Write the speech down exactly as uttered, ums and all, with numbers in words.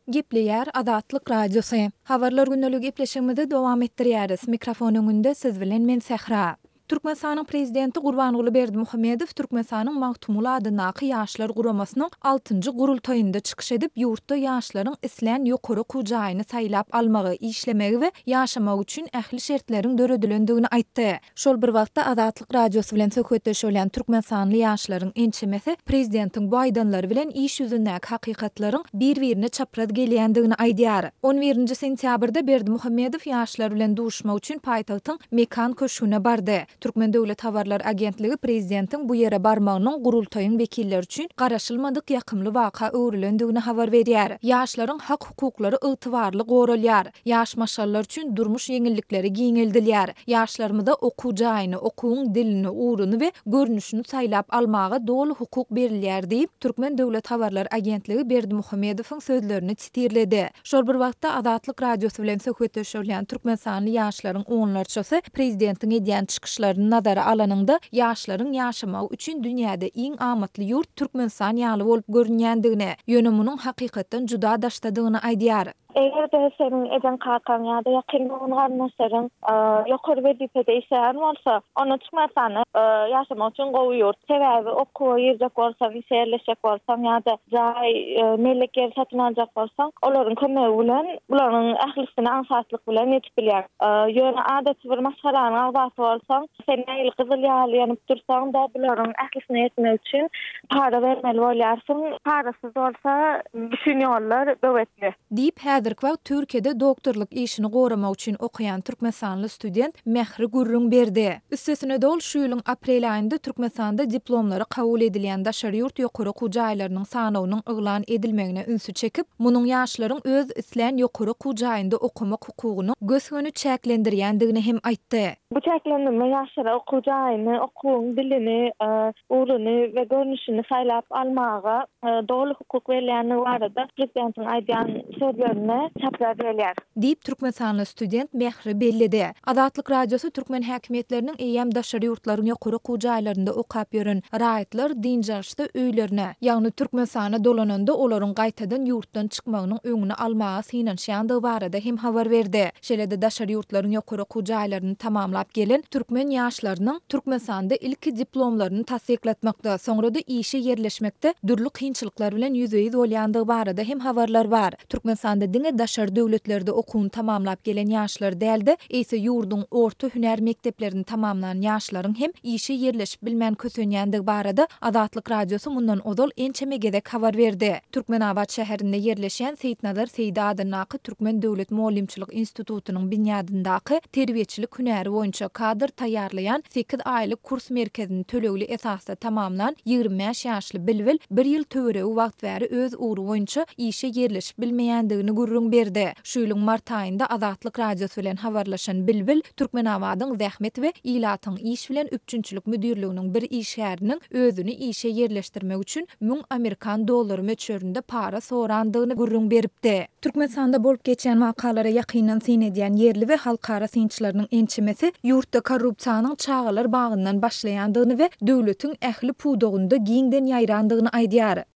Gepleýär Azatlyk Radiosy. Habarlar gündelik gepleşigimizi dowam etdirýäris. Mikrofon öňünde siz bilen men Sähra. Türkmenistanyň Prezidenti Gurbanguly Berdimuhamedow Türkmenistanyň Magtymguly adyndaky Ýaşlar guramasynyň altynjy gurultaýynda çykyş edip, ýurtda ýaşlaryň islän ýokary okuw jaýyny saýlap almagy, işlemegi we ýaşamagy üçin ähli şertleriň döredilendigini aýtdy. Şol bir wagtda Azatlyk Radiosy bilen söhbetdeş bolýan türkmenistanly ýaşlaryň ençemesi prezidentiň bu aýdanlary bilen iş ýüzündäki hakykatlaryň bir-birine çapraz gelýändigini aýdýar. On birinji sentýabrda Berdimuhamedow ýaşlar bilen duşuşmak üçin paýtagtyň Mekan köşgüne bardy. Türkmen döwlet habarlar agentligi prezidentiň bu ýere barmagynyň gurultaýyň wekilleri üçin garaşylmadyk ýakymly waka öwrülendigini habar berýär. Ýaşlaryň hak-hukuklary ygtybarly goralýar. Ýaş maşgalalar üçin durmuş ýeňillikleri giňeldilýär. Ýaşlarymyza okuw jaýyny, okuwyň dilini, ugruny we görnüşini saýlap almaga doly hukuk berilýär diýip, Türkmen döwlet habarlar agentligi Berdimuhamedowyň sözlerini sitirledi. Şol bir wagtda, Azatlyk Radiosy bilen söhbetdeş bolýan türkmenistanly ýaşlaryň onlarçasy prezidentiň edýän çykyşlaryny nazara alanyňda, ýaşlaryň ýaşamagy üçin dünýäde iň amatly ýurt Türkmenistan ýaly bolup görünýändigini, ýöne munuň hakykatdan juda daşdadygyny aýdýar. Eger-de seniň ejeň-kakaň ýa-da ýakyn dogan-garyndaşlaryň ýokary wezipede işleýän bolsa, onda Türkmenistanda ýaşamak üçin gowy ýurt. Sebäbi okuwa girjek bolsaň, işe ýerleşjek bolsaň ýa-da jaý, mellek ýeri satyn aljak bolsaň, olaryň kömegi bilen bularyň ählisine aňsatlyk bilen ýetip bilýäň. Ýöne adaty bir maşgalanyň agzasy bolsaň, sen nähili gyzyl ýaly ýanyp dursaň-da, bularyň ählisine ýetmek üçin para bermeli bolýarsyň. Parasyz bolsa bütin ýollar böwetli. Diýip, häzirki wagt Türkiýede doktorlyk işini goramak üçin okaýan türkmenistanly student Mähri gürrüň berdi. Üstesine-de ol şu ýylyň aprel aýynda Türkmenistanda diplomlary kabul edilýän daşary ýurt ýokary okuw jaýlarynyň sanawynyň yglan edilmegine ünsi çekip, munuň ýaşlaryň öz islän ýokary okuw jaýynda okamak hukugyny gös-göni çäklendirýändigini hem aýtdy. Bu çäklendirme ýaşlara okuw jaýyny, okuwyň dilini, ugruny we görnüşini saýlap almaga doly hukuk berilýändigi barada prezidentiň aýdýan sözlerine çapraz gelýär. Diýip, türkmenistanly student Mähri belledi. Azatlyk Radiosy türkmen häkimiýetleriniň eýýäm daşary ýurtlaryň ýokary okuw jaýlarynda okap ýören raýatlar dynç alyşda öýlerine, ýagny Türkmenistana dolananda olaryň gaýtadan ýurtdan çykmagynyň öňüni almaga synanyşýandygy barada hem habar berdi. Şeýle-de daşary ýurtlaryň ýokary okuw jaýlaryny tamamlap gelen türkmen ýaşlarynyň Türkmenistanda ilki diplomlaryny tassyklatmakda, soňra-da işe ýerleşmekde dürli kynçylyklar bilen ýüzbe-ýüz bolýandygy barada hem habarlar bar. Türkmenistanda diňe daşary döwletlerde okuwyny tamamlap gelen ýaşlar däl-de, eýse ýurduň orta hünär mekdeplerini tamamlan ýaşlaryň hem işe ýerleşip bilmän kösenýändigi barada Azatlyk Radiosy mundan ozal ençeme gezek habar berdi. Türkmenabat şäherinde ýerleşýän Seýitnazar Seýdi adyndaky Türkmen döwlet mugallymçylyk institutynyň binýadyndaky terbiýeçilik hünäri boýunça kadr taýýarlaýan sekiz aýlyk kurs merkezini tölegli esasda tamamlan ýigrimi bäş ýaşly Bilbil bir ýyl töweregi wagt bäri öz ugry boýunça işe ýerleşip bilmeýändigini gürrüň berdi. Şu ýylyň mart aýynda Azatlyk Radiosy bilen habarlaşan Bilbil Türkmenabadyň Zähmet we ilatyň iş bilen üpjünçilik müdirliginiň bir işgäriniň özüni işe ýerleşdirmek üçin müň amerikan dollary möçberinde para sorandygyny gürrüň beripdi. Türkmenistanda bolup geçýän wakalara ýakyndan syn edýän ýerli we halkara synçylarynyň ençemesi ýurtda korrupsiýanyň çagalar bagyndan başlaýandygyny we döwletiň ähli pudagynda giňden ýaýrandygyny aýdýar.